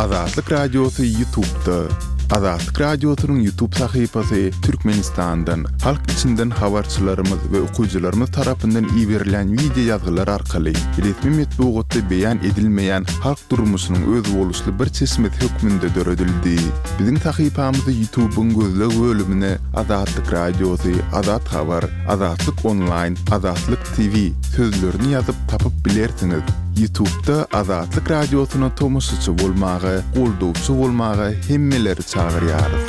Azatlyk Radiosy Ýutubda. Azatlyk Radiosynyň Ýutub sahypasy Türkmenistandan, halk içinden habarçylarymyz we okyjylarymyz tarapyndan iberilen wideo ýazgylar arkaly resmi metbugatda beýan edilmeýän halk durmuşynyň özboluşly bir çeşmesi hökmünde döredildi. Biziň sahypamyzy Ýutubyň gözleg bölümine Azatlyk Radiosy, Azat Habar, Azatlyk Onlaýn, Azatlyk TV sözlerini ýazyp tapyp bilersiňiz. Ýutubda Azatlyk Radiosyna tomaşaçy bolmaga, goldawçy bolmaga hemmeleri çagyrýarys.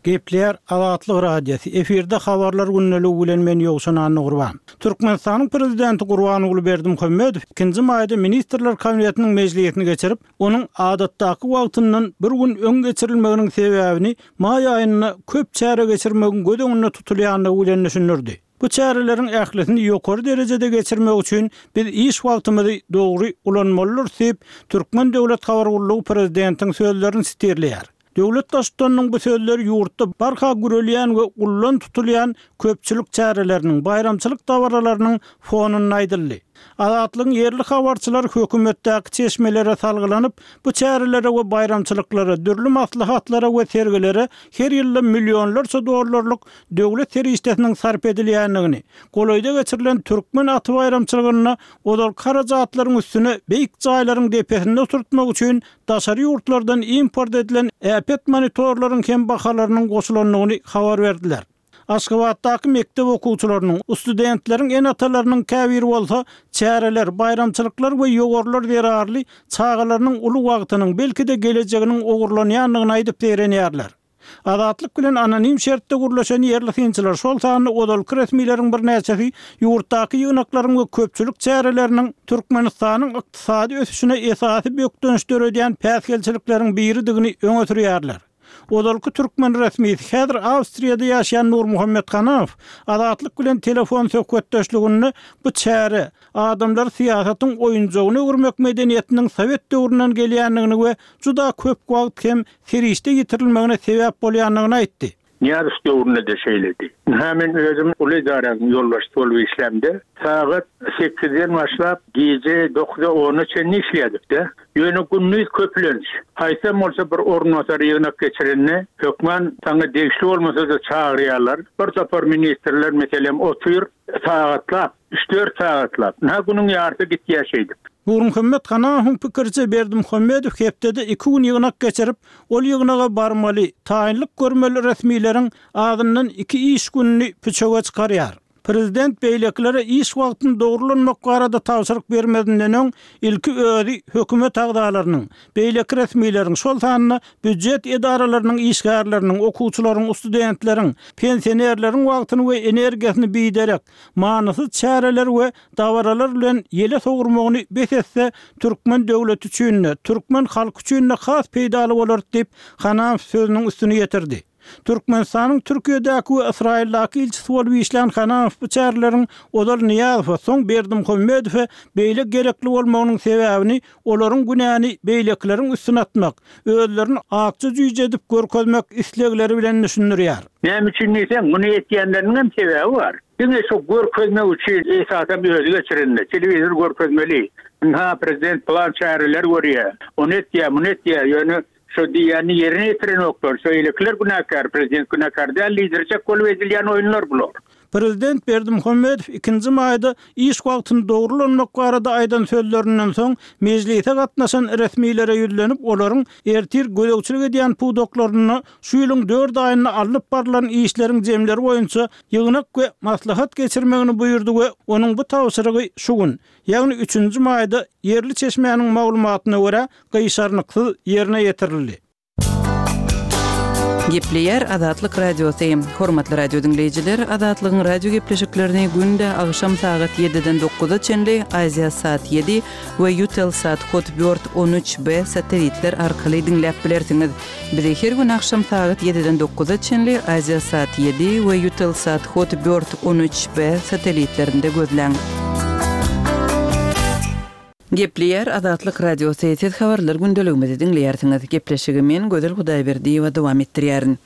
Gepleýär Azatlyk Radiosy, efirde Habarlar gündeligi bilen men Ýowşan Annagurban. Türkmenistanyň Prezidenti Gurbanguly Berdimuhamedow ikinji maýda Ministrler Kabinetiniň mejlisini geçirip, onuň adatdaky wagtyndan bir gün öň geçirilmeginiň sebäbini maý aýynda köp çäre geçirmegiň göz öňünde tutulýandygy bilen düşündirdi. Bu çäreleriň ählisini ýokary derejede geçirmek üçin biz iş wagtymyzy dogry ulanmalydyrys diýip, Türkmen döwlet habar gullugy prezidentiň sözlerini sitirleýär. Döwlet Baştutanynyň bu sözleri ýurtda barha gürelýän we ullan tutulýan köpçülik çäreleriniň, baýramçylyk dabaralarynyň fonunda aýdyldy. Azatlygyň ýerli habarçylary hökümetdäki çeşmelere salgylanyp, bu çärelere we baýramçylyklara, dürli maslahatlara we sergilere her ýylda millionlarça dollarlyk döwlet serişdesiniň sarp edilýändigini, golaýda geçirilen Türkmen aty baýramçylygynda ozalky harajatlaryň üstüne beýik jaýlaryň depesinde oturtmak üçin daşary ýurtlardan import edilen äpet monitorlaryň hem bahalarynyň goşulandygyny habar berdiler. Aşgabatdaky mekdep okuwçylarynyň, studentleriň ene-atalarynyň käbiri bolsa çäreler, baýramçylyklar we ýowarlar zerarly çagalarynyň uly wagtynyň, belki-de gelejeginiň ogurlanýandygyny aýdyp zeýrenýärler. Azatlyk bilen anonim şertde gürleşen ýerli synçylar, şol sanda ozalky resmileriň birnäçesi ýurtdaky ýygnaklaryň we köpçülik çäreleriniň Türkmenistanyň ykdysady ösüşine esasy bökdenç döredýän päsgelçilikleriň biridigini öňe sürýärler. Ozalky türkmen resmisi, häzir Awstriýada ýaşaýan Nurmuhammet Hanamow Azatlyk bilen telefon söhbetdeşliginde bu çäre, adamlary syýasatyň oýunjagyna öwürmek medeniýetiniň sowet döwründen gelýändigini we juda köp wagt hem serişde ýitirilmegine sebäp bolýandygyny aýtdy. Nyýazow döwründe-de şeýledi. Ynha, men özüm uly edaranyň ýolbaşçysy bolup işlämde, sagat sekizden başlap, gije dokuza-ona çenli işleýärdik-de. Ýöne gündiz köplenç, haýsam bolsa bir orunbasar ýygnak geçirende, hökman saňa degişli bolmasa-da çagyrýarlar. Bir topar ministrler, meselem, otyr, sagatlap, üç-dört sagatlap. Ynha, günüň ýarysy gitýär şeýdip. Nurmuhammet Hanahowyň pikiriçe, Berdimuhamedow hepdede iki gün ýygnak geçirip, ol ýygnaga barmaly, taýynlyk görmeli resmileriň azyndan iki iş gününi püçege çykarýar. Prezident beýlekilere iş wagtyny dogry ulanmak barada tabşyryk bermezinden öň, ilki özi hökümet agzalarynyň, beýleki resmileriň, şol sanda býujet edaralarynyň işgärleriniň, okuwçylaryň, studentleriň, pensionerleriň wagtyny we energiýasyny biderek, manysyz çäreler we dabaralar bilen ýele sowurmagyny bes etse, türkmen döwleti üçin-de, türkmen halky üçin-de has peýdaly bolardy diýip, Hanamow sözüniň üstüni ýetirdi. Türkmenistanyň Türkiýedäki we Ysraýyldaky ilçisi bolup işlän Hanamow bu çäreleriň ozal Nyýazowa, soň Berdimuhamedowa beýle gerekli bolmagynyň sebäbini olaryň günäni beýlekileriň üstüne atmak, özlerini akja jüýje edip görkezmek islegleri bilen düşündirýär. Näme üçin diýseň, muny etýänleriniňem sebäbi bar. Diňe şo görkezmek üçin, esasam özi geçirende, telewizor görkezmeli. Ynha, prezident pylan çäreler görýär, ony etýär, muny etýär, ýöne Şo diýýänini ýerine ýetirenoklar. Şo eýlekiler günäkär, prezident günäkär däl diýdirjek bolup edilýän oýunlar bular. Prezident Berdimuhamedow ikinji maýda iş wagtyny dogry ulanmak barada aýdan sözlerinden soň, mejlise gatnaşan resmilere ýüzlenip, olaryň ertir gözegçilik edýän pudaklarynda şu ýylyň dört aýynda alnyp barlan işleriň jemleri boýunça ýygnak we maslahat geçirmegini buýurdy we onuň bu tabşyrygy şu gün, ýagny üçünji maýda ýerli çeşmäniň maglumatyna görä, gyşarnyksyz ýerine ýetirildi. Gepleýär Azatlyk Radiosy. Hormatly radio diňleýjiler, Azatlygyň radio gepleşiklerini günde agşam sagat ýediden dokuza çenli Aziasat ýedi we Eutelsat Hotbird 13 B satelitler arkaly diňläp bilersiňiz. Bizi her gün agşam sagat ýediden dokuza çenli Aziasat ýedi we Eutelsat Hotbird 13 B satelitlerinde gözläň. Gepleýär Azatlyk Radiosy, siz habarlar gündeligimizi diňleýärsiňiz. Gepleşigi men, Gözel Hudaýberdiýewa dowam etdirýärin.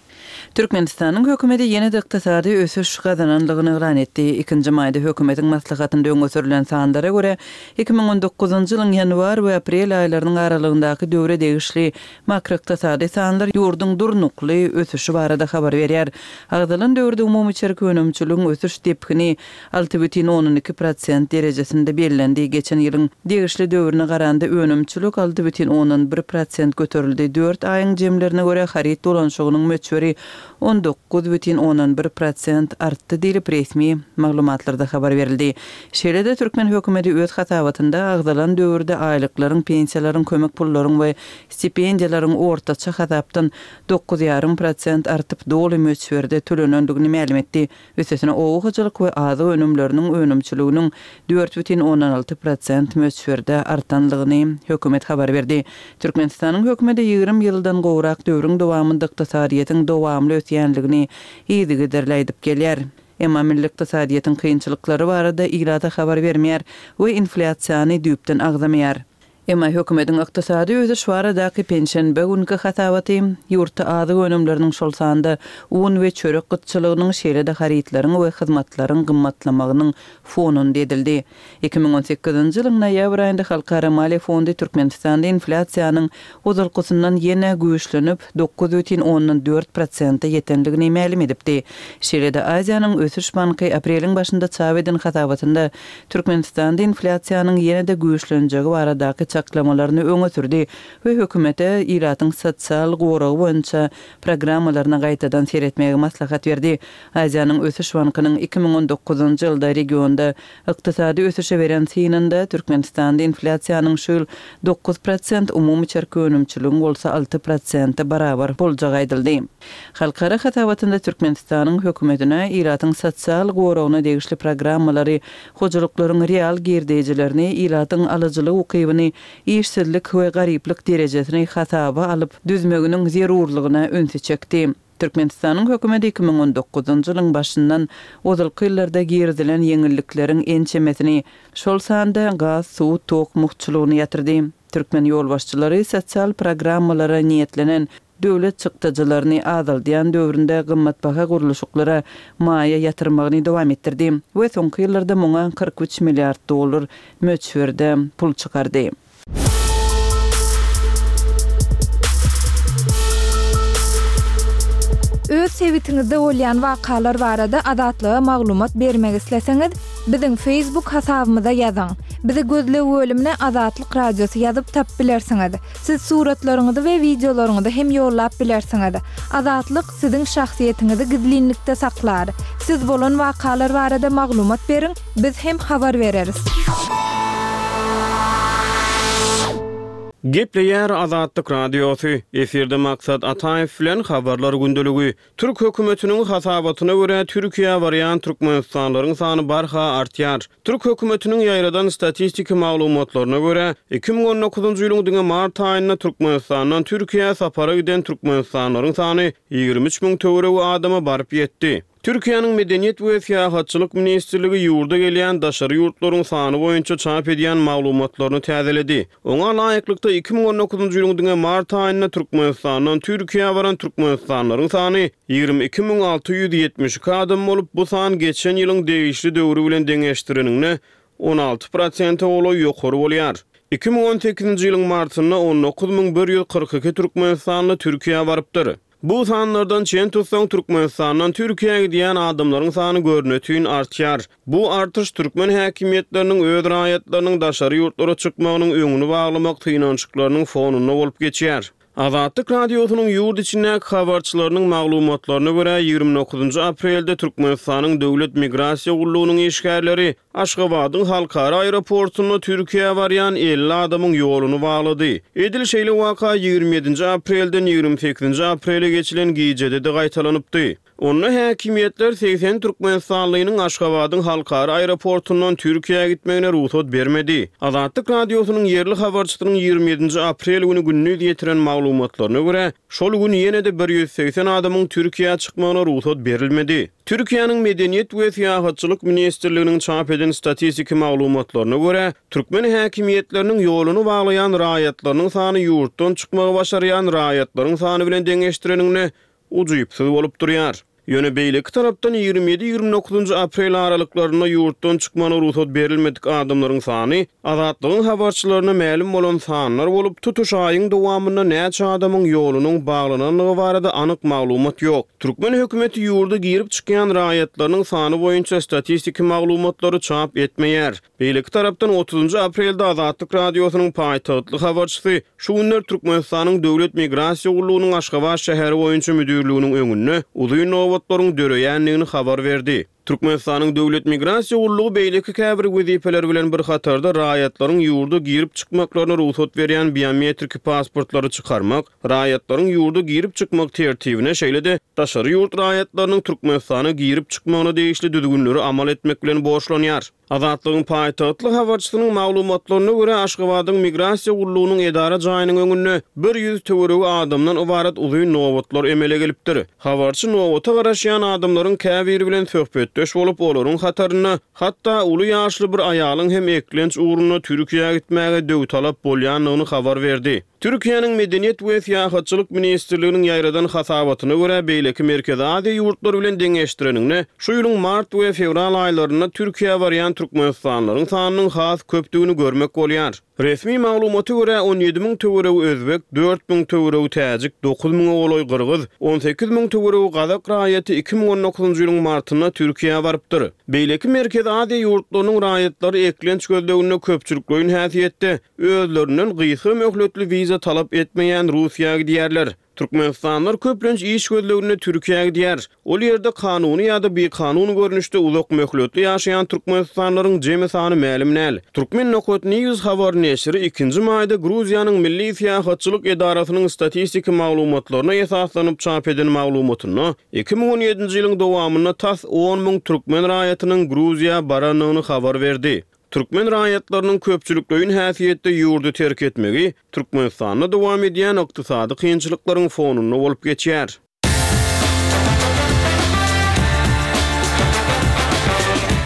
Türkmenistanyň hökümeti ýene-de ykdysady ösüş gazanandygyny yglan etdi. Ikinji maýda hökümetiň maslahatynda öňe sürlen sanlara görä, 2019-njy ýylyň ýanwar we aprel aýlarynyň aralygyndaky döwre degişli makroykdysady sanlar ýurduň durnukly ösüşi barada habar berýär. Agzalan döwürde umumy içerki önümçiligiň ösüş depgini 6,2 prosent derejesinde bellendi. Geçen ýylyň degişli döwrüne garanda önümçilik 6,1 prosent göterildi. Dört aýyň jemlerine görä, haryt dolanyşygynyň möçberi 19,1 prosent artdy diýlip, resmi maglumatlarda habar berildi. Şeýle-de, türkmen hökümeti öz hasabatynda agzalan döwürde aýlyklaryň, pensiýalaryň, kömek pullaryň we stipendiýalaryň ortaça hasapdan 9,5 prosent artyp, doly möçberde tölenendigini mälim etdi. Üstesine, oba hojalyk we azyk önümleriniň önümçiliginiň 4,6 prosent möçberde artanlygyny hökümet habar berdi. Türkmenistanyň hökümeti 20 ýyldan gowrak döwrüň dowamynda ykdysadyýetiň dowamly ösýänligini yzygiderli aýdyp gelýär. Emma milli ykdysadyýetiň kynçylyklary barada ilata habar bermeýär we inflýasiýany düýpden agzamaýar. Emma hökümetiň ykdysady ösüş baradaky penşenbe günki hasabaty ýurtda azyk önümleriniň, şol sanda un we çörek gytçylygynyň, şeýle-de harytlaryň we hyzmatlaryň gymmatlamagynyň fonunda edildi. 2018-nji ýylyň noýabr aýynda Halkara maliýe fondy Türkmenistanda inflýasiýanyň ozalkysyndan ýene güýçlenip, 9,4 prosente ýetendigini mälim edipdi. Şeýle-de Aziýanyň ösüş banky apreliň başynda çap eden hasabatynda Türkmenistanda inflýasiýanyň ýene-de güýçlenjegi baradaky çaklamalaryny öňe sürdi we hökümete ilatyň sosial goragy boýunça programmalaryna gaýtadan seretmegi maslahat berdi. Aziýanyň ösüş bankynyň 2019-njy ýylda regionda ykdysady ösüşe beren synynda Türkmenistanda inflýasiýanyň şu ýyl 9%, umumy içerki önümçiligiň bolsa 6 prosente barabar boljagy aýdyldy. Halkara hasabatynda Türkmenistanyň hökümetine ilatyň sosial goragyna degişli programmalary, hojalyklaryň real girdeýjilerini, ilatyň alyjylyk ukybyny, işsizlik we garyplyk derejesini hasaba alyp düzmeginiň zerurlygyna ünsi çekdi. Türkmenistanyň hökümeti 2019-njy ýylyň başyndan ozalky ýyllarda girizilen ýeňillikleriň ençemesini, şol sanda gaz, suw, tok mugtçulygyny ýatyrdy. Türkmen ýolbaşçylary sosial programmalara niýetlenen döwlet çykdajylaryny azaldýan döwründe gymmatbaha gurluşyklara maýa ýatyrmagyny dowam etdirdi we soňky ýyllarda muňa 43 milliard dollar möçberde pul çykardy. Öz sebitiňizde bolýan wakalar barada Azatlyga maglumat bermek isleseňiz, biziň Facebook hasabymyza ýazyň. Bizi gözleg bölümine Azatlyk Radiosy ýazyp tapyp bilersiňiz. Siz suratlaryňyzy we wideolaryňyzy hem ýollap bilersiňiz. Azatlyk siziň şahsyýetiňizi gizlinlikde saklar. Siz bolan wakalar barada maglumat beriň, biz hem habar bereris. Gepleýär Azatlyk Radiosy, Efirde Maksat Ataýew bilen Habarlar gündeligi. Türk hökümetiniň hasabatyna görä, Türkiýä barýan türkmenistanlylaryň sany barha artýar. Türk hökümetiniň ýaýradan statistiki maglumatlaryna görä, 2019-njy ýylyň diňe mart aýynda Türkmenistandan Türkiýä sapara giden türkmenistanlylaryň sany 23 müň töweregi adama baryp ýetdi. Türkiýäniň Medeniýet we syýahatçylyk ministrligi ýurda gelýän daşary ýurtlaryň sany boýunça çap edýän maglumatlaryny täzeledi. Oňa laýyklykda, 2019-njy ýylyň diňe mart aýynda Türkmenistandan Türkiýä baran türkmenistanlylaryň sany 22 672 adam bolup, bu san geçen ýylyň degişli döwri bilen deňeşdireniňde 16 prosente golaý ýokary bolýar. 2018-nji ýylyň martynda 19 142 türkmenistanly Türkiýä barypdyr. Bu sanlardan çen tutsaň, Türkmenistandan Türkiýä gidýän adamlaryň sany görnetin artýar. Bu artyş türkmen häkimiýetleriniň öz raýatlarynyň daşary ýurtlara çykmagynyň öňüni baglamak synanyşyklarynyň fonunda bolup geçýär. Azatlyk Radiosynyň ýurt içindäki habarçylarynyň maglumatlaryna görä, 29 aprelde Türkmenistanyň Döwlet migrasiýa gullugynyň işgärleri Aşgabadyň halkara aeroportunda Türkiýä barýan 50 adamyň ýoluny baglady. Edil şeýle waka 27-nji aprelden 28-nji aprele geçilen gijede-de gaýtalanypdy. Onda häkimiýetler 80 türkmenistanlynyň Aşgabadyň halkara aeroportundan Türkiýä gitmegine rugsat bermedi. Azatlyk Radiosynyň ýerli habarçysynyň 27-nji aprel güni gündiz ýetiren maglumatlaryna görä, şol gün ýene-de 180 adamyň Türkiýä çykmagyna rugsat berilmedi. Türkiýäniň Medeniýet we syýahatçylyk ministrliginiň çap eden statistiki maglumatlaryna görä, türkmen häkimiýetleriniň ýoluny baglaýan raýatlarynyň sany ýurtdan çykmagy başarýan raýatlaryň sany bilen deňeşdireniňde. ujypsyz bolup durýar. Ýöne beýleki tarapdan 27, 29-njy aprel aralyklarynda ýurtdan çykmagyna rugsat berilmedik adamlaryň sany Azatlygyň habarçylaryna mälim bolan sanlar bolup, tutuş aýyň dowamynda näçe adamyň ýolunyň baglanandygy barada anyk maglumat ýok. Türkmen hökümeti ýurda girip-çykýan raýatlarynyň sany boýunça statistiki maglumatlary çap etmeýär. Beýleki tarapdan, otuzynjy aprelde Azatlyk Radiosynyň paýtagtly habarçysy şu günler Türkmenistanyň Döwlet migrasiýa gullugynyň Aşgabat şäheri boýunça müdirliginiň öňünde uzyn nobatlaryň döreýändigini habar berdi. Türkmenistanyň Döwlet migrasiýa gullugy beýleki käbir wezipeler bilen bir hatarda raýatlaryň ýurda girip-çykmaklaryna rugsat berýän biometriki pasportlary çykarmak, raýatlaryň ýurda girip-çykmak tertibine, şeýle-de daşary ýurt raýatlarynyň Türkmenistana girip-çykmagyna degişli düzgünleri amal etmek bilen borçlanýar. Azatlygyň paýtagtly habarçysynyň maglumatlaryna görä, Aşgabadyň Migrasiýa gullugynyň edara jaýynyň öňünde 100 töweregi adamdan ybarat uzyn nobatlar emele gelipdir. Habarçy nobata garaşýan adamlaryň käbiri bilen söhbetdeş bolup, olaryň hatarynda hatda uly ýaşly bir aýalyň hem eklenç ugrunda Türkiýä gitmäge döwtalap bolýandygyny habar berdi. Türkiýäniň Medeniýet we syýahatçylyk ministrliginiň ýaýradan hasabatyna görä, beýleki Merkezi Aziýa ýurtlary bilen deňeşdireniňde, şu ýylyň mart we fewral aýlarynda Türkiýä barýan türkmenistanlylaryň sanynyň has köpdügini görmek bolýar. Resmi maglumata görä, 17 müň töweregi özbek, 4000 töweregi täjik, dokuz müňe golaý gyrgyz, 18 müň töweregi gazak raýaty 2019-njy ýylyň martynda Türkiýä barypdyr. Beýleki Merkezi Aziýa ýurtlarynyň raýatlary eklenç gözleginde köpçülikleýin häsiýetde özlerinden gysga möhletli wiza talap etmeýän Russiýa gidýärler. Türkmenistanlylar köplenç iş gözleginde Türkiýä gidýär. Ol ýerde kanuny ýa-da bikanun görnüşde uzak möhletli ýaşaýan türkmenistanlylaryň jemi sany mälim däl. Turkmen nokat news habar neşiri ikinji maýda Gruziýanyň Milli syýahatçylyk edarasynyň statistiki maglumatlaryna esaslanyp çap eden maglumatynda 2017-nji ýylyň dowamynda tas on müň türkmen raýatynyň Gruziýa barandygyny habar berdi. Türkmen raýatlarynyň köpçülikleýin häsiýetde ýurdy terk etmegi Türkmenistanda dowam edýän ykdysady kynçylyklaryň fonunda bolup geçýär.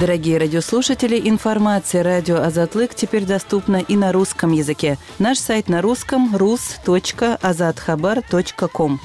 Дорогие радиослушатели, информация радио Азатлык теперь доступна и на русском языке. Наш сайт на русском rus.azathabar.com.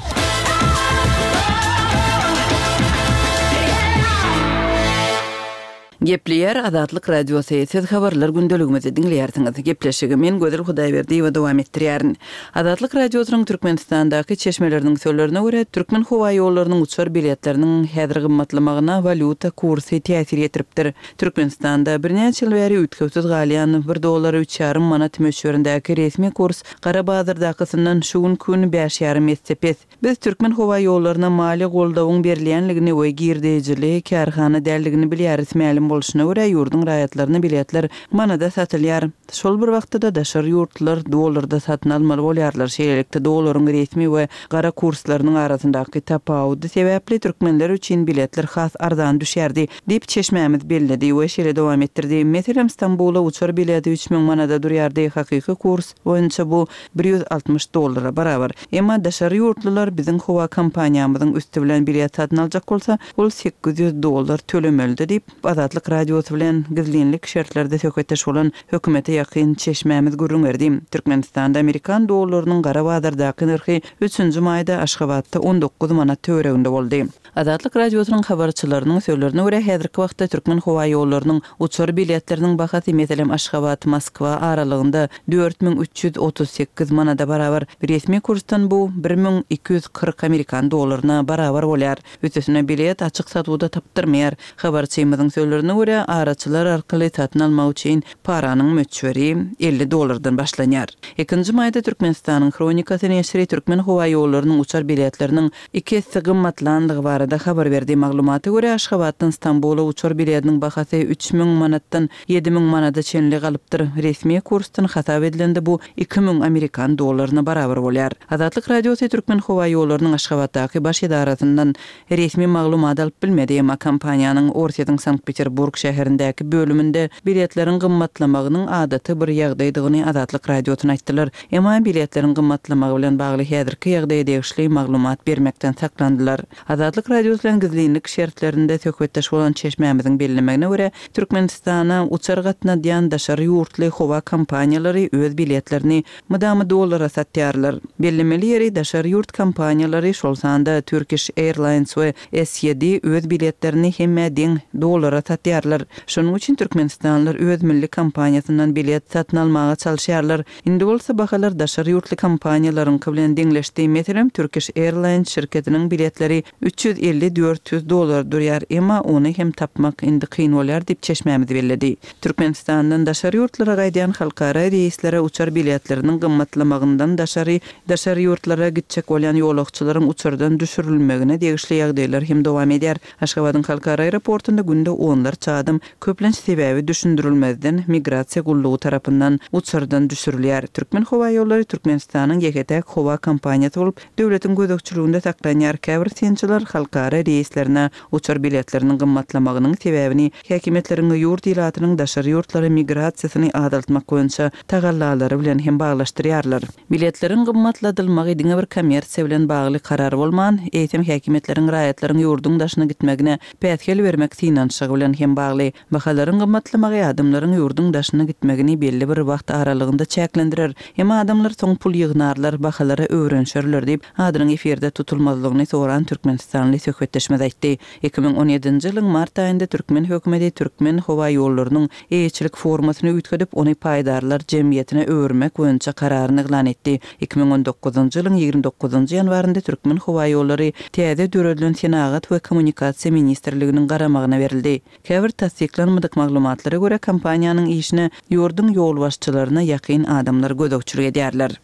Gepleýär Azatlyk Radiosy, Siz Habarlar gündeligimizi diňleýärsiňiz. Gepleşigi men Gözel Hudaýberdiýewa dowam etdirýärin. Azatlyk Radiosynyň Türkmenistandaky çeşmeleriniň sözlerine görä, Türkmenhowaýollarynyň uçar biletleriniň häzir gymmatlamagyna walýuta kursy täsir ýetiripdir. Türkmenistanda birnäçe ýyl bäri üýtgewsiz galýan bir dollara üç ýarym manat möçberindäki resmi kurs gara bazardakysyndan şu günki gün bäş ýarym esse pes. Biz Türkmenhowaýollaryna maliýe goldawyň berilýänligini we girdejili kärhana däldigini bilýäris. Mälim bolşuna görä, ýurduň raýatlaryna biletler manada satylýar. Şol bir wagtda-da daşary ýurtlular dollarda satyn almaly bolýarlar. Şeýlelikde, dolaryň resmi we gara kurslarynyň arasyndaky tapawudy sebäpli türkmenler üçin biletler has arzan düşýärdi, diýip, çeşmämiz belledi we şeýle dowam etdirdi, Meselem, Stambula uçar bileti 3000 manada durýardy, hakyky kurs boýunça bu 160 dollara barabar. Emma daşary ýurtlular biziň howa kompaniýamyzyň üsti bilen bilet satyn aljak bolsa, ol 800 dollar tölemelidi diýip, Azatlyk Radiosy bilen gizlinlik şertlerde söhbetdeş bolan hökümete ýakyn çeşmämiz gürrüň berdi. Türkmenistanda amerikan dollarynyň gara bazardaky nyrhy üçünji maýda Aşgabatda 19 manat töwereginde boldy. Azatlyk Radiosynyň habarçylarynyň sözlerine görä, häzirki wagtda Türkmenhowaýollarynyň uçar biletleriniň bahasy, meselem, Aşgabat, Moskwa aralygynda 4338 manada barabar, resmi kursdan bu 1240 amerikan dollaryna barabar bolýar. Üstesine, bilet açyk satuwda tapdyrmaýar. Habarçymyzyň sözlerine görä, araçylar arkaly satyn almak üçin paranyň möçberi 50 dollardan başlanýar. Ikinji maýda Türkmenistanyň Hronikasy neşiri Türkmenhowaýollarynyň uçar biletleriniň iki esse gymmatlandygy barada habar berdi. Maglumata görä, Aşgabatdan Stambula uçar biletiniň bahasy 3000 manatdan 7000 manada çenli galypdyr. Resmi kursdan hasap edilende bu 2000 amerikan dollaryna barabar bolýar. Azatlyk Radiosy Türkmenhowaýollarynyň Aşgabatdaky baş edarasyndan resmi maglumat alyp bilmedi, emma kompaniýanyň Orsýetiň Sankt-Peterburg şäherindäki bölüminde biletleriň gymmatlamagynyň adaty bir ýagdaýdygyny Azatlyk Radiosyna aýtdylar. Emma biletleriň gymmatlamagy bilen bagly häzirki ýagdaýa degişli maglumat bermekden saklandylar. Azatlyk. Radiosy bilen gizlinlik şertlerinde söhbetdeş bolan çeşmämiziň bellemegine görä, Türkmenistana uçar gatnadýan daşary ýurtly howa kompaniýalary öz biletlerini mydama dollara satýarlar. Bellemeli ýeri, daşary ýurt kompaniýalary, şol sanda Turkish Airlines we SYD öz biletlerini hemmä deň dollara satýarlar. Şonuň üçin türkmenistanlylar öz milli kompaniýasyndan bilet satyn almaga çalyşýarlar. Indi bolsa bahalar daşary ýurtly kompaniýalaryňky bilen deňleşdi. Meselem, Turkish Airlines şirketiniň biletleri 350-400 dollar durýar, emma ony hem tapmak indi kyn bolýar diýip, çeşmämiz belledi. Türkmenistandan daşary ýurtlara gaýdýan halkara reýslere uçar biletleriniň gymmatlamagyndan daşary, daşary ýurtlara gitjek bolýan ýolagçylaryň uçardan düşürilmegine degişli ýagdaýlar hem dowam edýär. Aşgabadyň halkara aeroportunda günde onlarça adam, köplenç sebäbi düşündirilmezden, migrasiýa gullugy tarapyndan uçardan düşürilýär. Türkmenhowaýollary Türkmenistanyň ýeke-täk howa kompaniýasy bolup, döwletiň gözegçiliginde saklanýar. Käbir synçylar halkara reýslerine uçar biletleriniň gymmatlamagynyň sebäbini häkimiýetleriň ýurt ilatynyň daşary ýurtlara migrasiýasyny azaltmak boýunça tagallalary bilen hem baglaşdyrýarlar. Biletleriň gymmatladylmagy diňe bir kommersiýa bilen bagly karar bolman, eýsem häkimiýetleriň raýatlaryň ýurduň daşyna gitmegine päsgel bermek synanyşygy bilen hem bagly. Bahalaryň gymmatlamagy adamlaryň ýurduň daşyna gitmegini belli bir wagt aralygynda çäklendirer. Emma adamlar soň pul ýygnarlar, bahalara öwrenişerler diýip, adynyň efirde tutulmazlygyny soran türkmenistanly söhbetdeşimiz aýtdy. 2017-nji ýylyň mart aýynda türkmen hökümeti Türkmenhowaýollarynyň eýeçilik formasyny üýtgedip, ony paýdarlar jemgyýetine öwürmek boýunça kararyny yglan etdi. 2019-njy ýylyň 29-njy ýanwarynda Türkmenhowaýollary täze döredilen Senagat we kommunikasiýa ministrliginiň garamagyna berildi. Käbir tassyklanmadyk maglumatlara görä, kompaniýanyň işine ýurduň ýolbaşçylaryna ýakyn adamlar gözegçilik edýärler.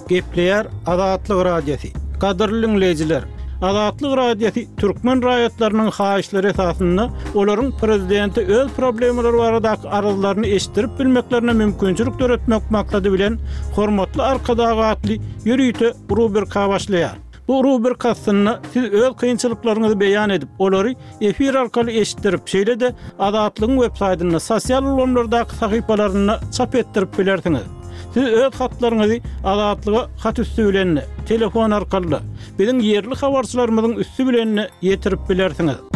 Gepleýär Azatlyk Radiosy. Gadyrly diňleýjiler! Azatlyk Radiosy türkmen raýatlarynyň haýyşlary esasynda olaryň prezidente öz problemalary baradaky arzlaryny eşitdirip bilmeklerine mümkinçilik döretmek maksady bilen Hormatly Arkadag atly ýörite rubrika başlaýar. Bu rubrika astynda siz öz kynçylyklaryňyzy beýan edip, olary efir arkaly eşitdirip, şeýle-de Azatlygyň websaýtynda, sosial ulgamlardaky sahypalarynda çap etdirip bilersiňiz. Siz öz hatlaryňyzy Azatlyga hat üsti bilen-de, telefon arkaly-da, biziň ýerli habarçylarymyzyň üsti bilen-de ýetirip bilersiňiz.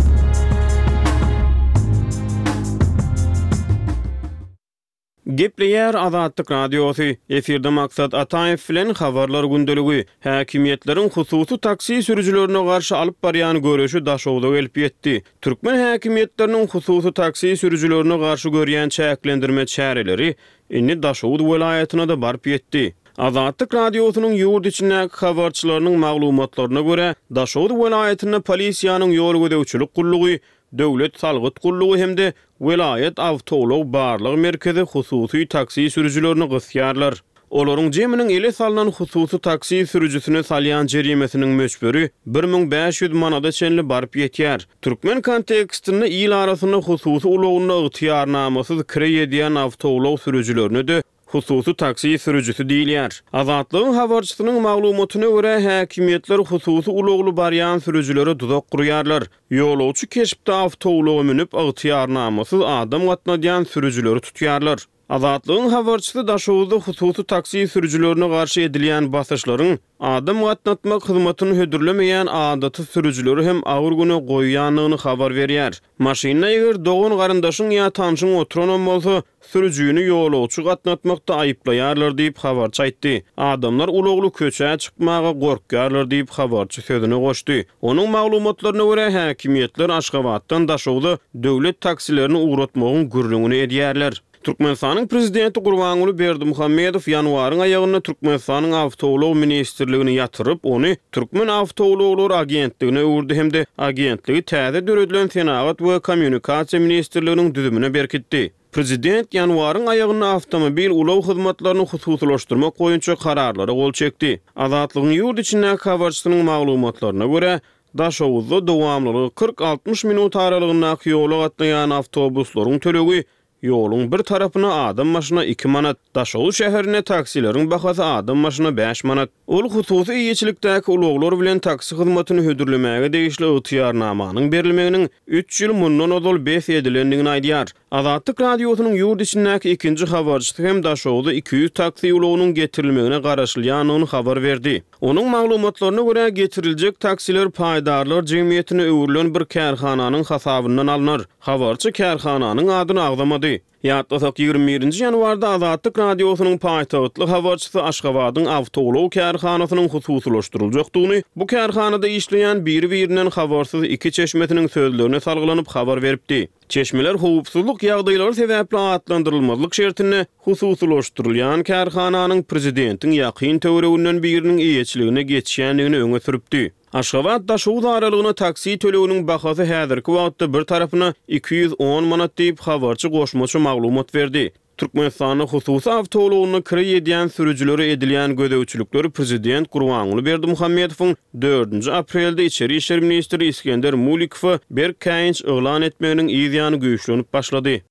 Gepleýär Azatlyk Radiosy, Efirde Maksat Ataýew bilen Habarlar gündeligi. Häkimiýetleriň hususy taksi sürüjilerine garşy alyp barýan göreşi Daşogza gelip ýetdi. Türkmen häkimiýetleriniň hususy taksi sürüjilerine garşy görýän çäklendirme çäreleri indi Daşoguz welaýatyna-da baryp ýetdi. Azatlyk Radiosynyň ýurt içindäki habarçylarynyň maglumatlaryna görä, Daşoguz welaýatynda polisiýanyň ýol gözegçilik gullugy Döwlet salgyt gullugy hem-de welaýat awtoulag barlag merkezi hususy taksi sürüjilerini gysýarlar. Olaryň jeminiň ele salnan hususy taksi sürüjisine salýan jerimesiniň möçberi 1500 manada çenli baryp ýetýär. Türkmen kontekstinde il arasynda hususy ulagynda ygtyýarnamasyz kireý edýän awtoulag sürüjilerine-de Hususy taksi sürüjisi diýilýär. Azatlygyň habarçysynyň maglumatyna görä, häkimiýetler hususy ulagly barýan sürüjilere duzak gurýarlar. Ýolagçy keşpde awtoulaga münüp, ygtyýarnamasyz adam gatnadýan sürüjileri tutýarlar. Azatlygyň habarçysy Daşoguzda hususy taksi sürüjilerine garşy edilýän basyşlaryň adam gatnatmak hyzmatyny hödürlemeýän adaty sürüjileri hem agyr güne goýýandygyny habar berýär. Maşynda eger dogan-garyndaşyň ýa tanşyň oturanam bolsa, Sürüjini ýolagçy gatnatmakda aýyplaýarlar diýip, habarçy aýtdy. Adamlar ulagly köçä çykmaga gorkýarlar diýip, habarçy sözüne goşdy. Onuň maglumatlaryna görä, häkimiýetler Aşgabatdan Daşogza döwlet taksilerini ugratmagyň gürrüňini edýärler. Türkmenistanyň prezidenti Gurbanguly Berdimuhamedow ýanwaryň aýagynda Türkmenistanyň Awtoulag ministrligini ýatyryp, ony Türkmenawtoulaglary agentligine öwürdi hem-de agentligi täze döredilen Senagat we kommunikasiýa ministrliginiň düzümine berkitdi. Prezident ýanwaryň aýagynda awtomobil ulag hyzmatlaryny hususylaşdyrmak boýunça kararlara gol çekdi. Azatlygyň ýurt içindäki habarçysynyň maglumatlaryna görä, Daşoguzda dowamlylygy kyrk-altmyş minut aralygyndaky ýola gatnaýan awtobuslaryň tölegi Ýoluň bir tarapyna adam başyna iki manat, Daşoguz şäherinde taksileriň bahasy adam başyna bäş manat. Ol hususy eýeçilikdäki ulaglar bilen taksi hyzmatyny hödürlemäge degişli ygtyýarnamanyň berilmeginiň üç ýyl mundan ozal bes edilendigini aýdýar. Azatlyk Radiosynyň ýurt içindäki ikinji habarçysy hem Daşoguzda 200 taksi ulagynyň getirilmegine garaşylýandygyny habar berdi. Onuň maglumatlaryna görä, getiriljek taksiler paýdarlar jemgyýetine öwrülen bir kärhananyň hasabyndan alnar. Habarçy kärhananyň adyny agzamady. Ýatlasak, 21 nji ýanwarda Azatlyk Radiosynyň paýtagtly habarçysy Aşgabadyň awtoulag kärhanasynyň hususylaşdyryljakdygyny bu kärhanada işleýän biri-birinden habarsyz iki çeşmesiniň sözlerine salgylanyp habar beripdi. Çeşmeler howpsuzlyk ýagdaýlary sebäpli atlandyrylmazlyk şertinde hususylaşdyrylýan kärhananyň prezidentiň ýakyn töwereginden biriniň eýeçiligine geçýändigini öňe sürüpdi. Aşgabat-Daşoguz aralygyna taksi töleginiň bahasy häzirki wagtda bir tarapyna 210 manat diýip, habarçy goşmaça maglumat berdi. Türkmenistanda hususy awtoulagynda kireý edýän sürüjilere edilýän gözegçilikler prezident Gurbanguly Berdimuhamedowyň dördünji aprelde içeri işler ministri Isgender Mulikowa berk käýinç yglan etmeginiň yz ýany güýçlenip başlady.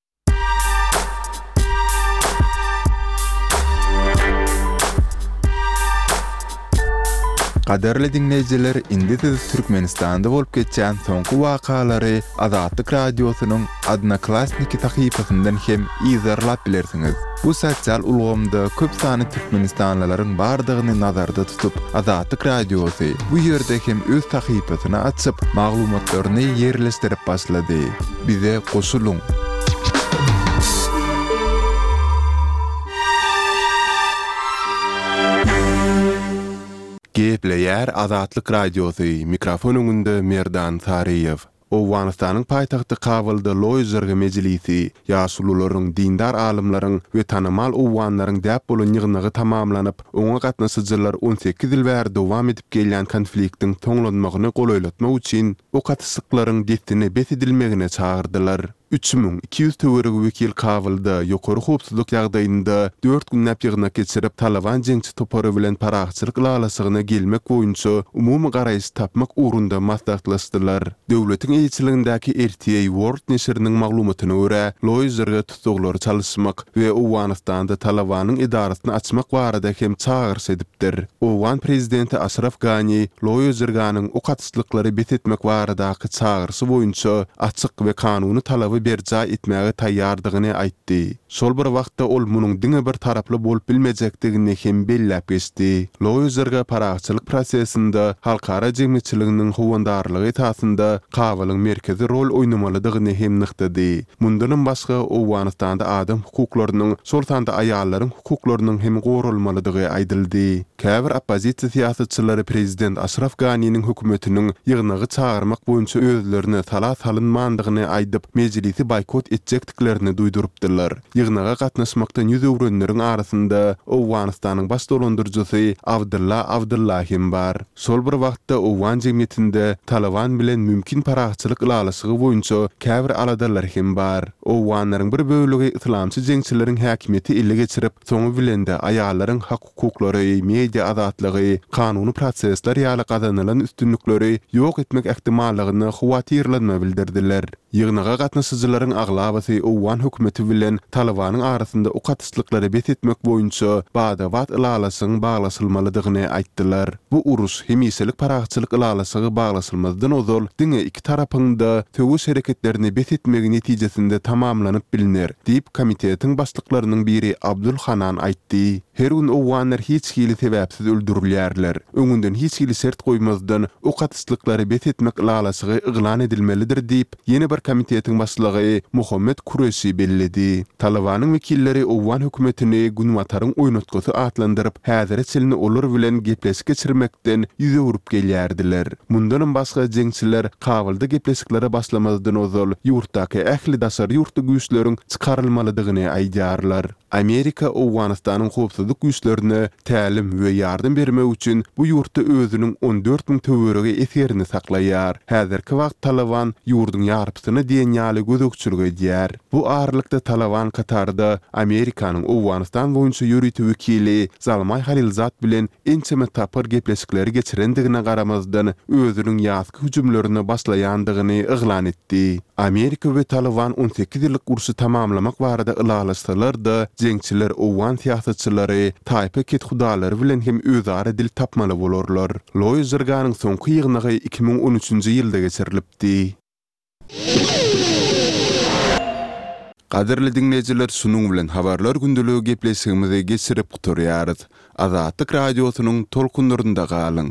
Gadyrly diňleýjiler, indi siz Türkmenistanda bolup geçýän soňky wakalary Azatlyk Radiosynyň Odnoklassniki sahypasyndan hem yzarlap bilersiňiz. Bu sosial ulgamda köp sanly türkmenistanlylaryň bardygyny nazarda tutup, Azatlyk Radiosy bu ýerde hem öz sahypasyny açyp, maglumatlaryny ýerleşdirip başlady. Bize goşulyň! Gepleýär Azatlyk Radiosy, mikrofon öňünde Merdan Saryýew. Owganystanyň paýtagty Kabulda Loýa Jirga mejlisi, ýaşulularyň, dindar alymlaryň we tanymal owganlaryň däp bolan ýygnagy tamamlanyp, oňa gatnaşyjylar 18 ýyl bäri dowam edip gelýän konfliktiň soňlanmagyny golaýlatmak üçin ok atyşyklaryň dessine bes edilmegine çagyrdylar. 3200 töweregi wekil Kabulda ýokary howpsuzlyk ýagdaýynda dört günläp ýygnak geçirip, Talaban jeňçi topary bilen parahatçylyk ylalaşygyna gelmek boýunça umumy garaýyş tapmak ugrunda maslahatlaşdylar. Döwletiň eýeçiligindäki RTA World neşiriniň maglumatyna görä, Loýa Jirga tussaglary çalyşmak we Owganystanda Talabanyň edarasyny açmak barada hem çagyryş edipdir. Owgan prezidenti Aşraf Gani Loýa Jirganyň ok atyşlyklary bes etmek baradaky çagyryşy boýunça açyk we kanuny talaby berjaý etmäge taýýardygyny aýtdy. Şol bir wagtda ol munuň diňe bir taraply bolup bilmejekdigini hem belläp geçdi. Loýa Jirga parahatçylyk prosesinde halkara jemgyýetçiliginiň howandarlygy esasynda Kabulyň merkezi rol oýnamalydygyny hem nygtady. Mundanam başga, Owganystanda adam hukuklarynyň, şol sanda aýallaryň hukuklarynyň hem goralmalydygy aýdyldy. Käbir oppozisiýa syýasatçylary prezident Aşraf Ganiniň hökümetiniň ýygnagy çagyrmak boýunça özlerine sala salynmandygyny aýdyp, mejlisi boýkot etjekdiklerini duýdurypdylar. Ýygnaga gatnaşmakdan ýüz öwrenleriň arasynda Owganystanyň baş dolandyryjysy Abdylla Abdylla hem bar. Şol bir wagtda owgan jemgyýetinde Talyban bilen mümkin parahatçylyk ylalaşygy boýunça käbir aladalar hem bar. Owganlaryň bir bölegi yslamçy jeňçileriň häkimiýeti ele geçirip, soňy bilen-de aýallaryň hak-hukuklary, media azatlygy, kanuny prosesler ýaly gazanylan üstünlikleri ýok etmek ähtimallygyna howatyrlanma bildirdiler. Ýygnaga gatnaşyjylaryň aglabasy owgan hökümeti bilen Talybanyň arasynda ok atyşlyklary bes etmek boýunça bada-bat ylalaşygyň baglaşylmalydygyny aýtdylar. Bu uruş hemişelik parahatçylyk ylalaşygy baglaşylmazdan ozal diňe iki tarapyň-da söweş hereketlerini bes etmegi netijesinde tamamlanyp bilner, diýip, komitetiň başlyklarynyň biri Abdul Hanan aýtdy. Her gün owganlar hiç hili sebäpsiz öldürilýärler. Öňünden hiç hili şert goýmazdan, ok atyşlyklary bes etmek ylalaşygy yglan edilmelidir diýip, ýene bir komitetiň başlygy Muhammet Kureşi belledi. Talybanyň wekilleri owgan hökümetini Günbataryň oýnatgysy atlandyryp, häzire çenli olar bilen gepleşik geçirmekden ýüz öwrüp gelýärdiler. Mundanam başga jeňçiler Kabulda gepleşiklere başlamazdan ozal ýurtdaky ähli daşary ýurtly güýçleriň çykarylmalydygyny aýdýarlar. Amerika Owganystanyň howpsuzlyk güýçlerine tälim we ýardam bermek üçin bu ýurtda özüniň 14 müň töweregi esgerini saklaýar. Häzirki wagt Talyban ýurduň ýarpysyna diýen ýaly gözegçilik edýär. Bu aralykda Talyban Katarda Amerikanyň Owganystan boýunça ýörite wekili Zalmaý Halilzad bilen ençeme tapgyr gepleşikleri geçirendigine garamazdan, özüniň ýazky hüjümlerine başlaýandygyny yglan etdi. Amerika we Talyban 18 ýyllyk urşy tamamlamak barada ylalaşsalar-da, jeňçiler owgan syýasatçylary, taýpa kethudalary bilen hem özara dil tapmaly bolarlar. Loýa Jirganyň soňky ýygnagy 2013-nji ýylda geçirilipdi. Gadyrly diňleýjiler şunuň bilen Habarlar gündeligi gepleşigimizi geçirip gutarýarys. Azatlyk Radiosynyň tolkunlarynda galyň!